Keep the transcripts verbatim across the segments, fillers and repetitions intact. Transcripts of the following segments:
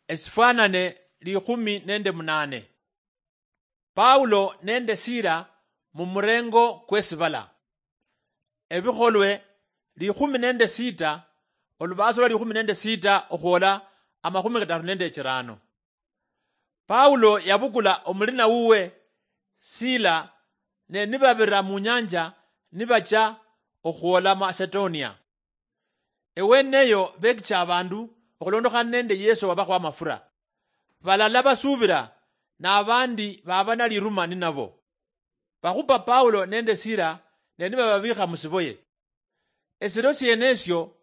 Esifwanane likhumi nende munane. Paulo nende Sila mumurengo kwesibala. Ebikholwe likhumi nende sita, olubaso lwa likhumi nende sita okhwola amakhumi kataru nende chirano. Paulo yabukula omulina wuwe Sila, ne nibabira munyanja nibacha okhwola Macedonia. Eweneyo bekicha abandu okhulondokhana nende Yesu wabakhwa amafura. Balala basubira, nabandi baba naliruma ninabo. Bakhupa Paulo nende Sila, ne nibababikha musiboye. Esiro sienesio,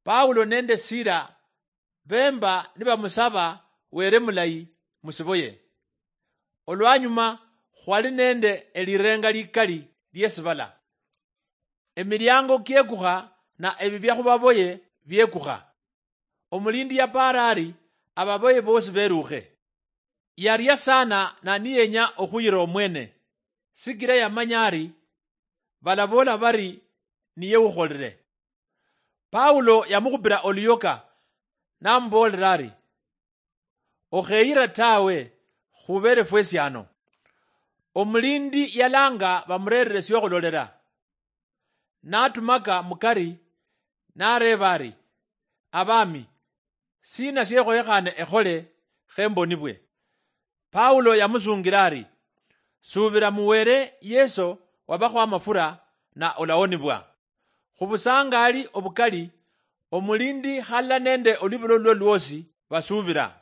Paulo nende Sila bemba nibamusaba Were mulayi musiboye. Olwanyuma, khwali nende elirenga likali liesibala. Emiliango kiekukha, na ebibya khubaboye biekukha. Omulindi yapaara ari, ababoye bosi berukhe. Yaria sana na niyenya okhuyira omwene, sikira yamanya ari balaboola bari niye ukholire. Paulo yamukhupira oluyoka, namuboolera ari, okheyira tawe, khubere fwesi ano. Omulindi yalanga bamurerere siokhulolera. Natumaka mukari, nareeba ari, abami, sina siekhoyekhane ekhole khe mbonibwe? Paulo yamusungira ari, subira mu Were Yesu wabakhwa amafura, na olawonibwa. Khubusangali obukali, omulindi halala nende olwibulolo lulwo lwosi basubira.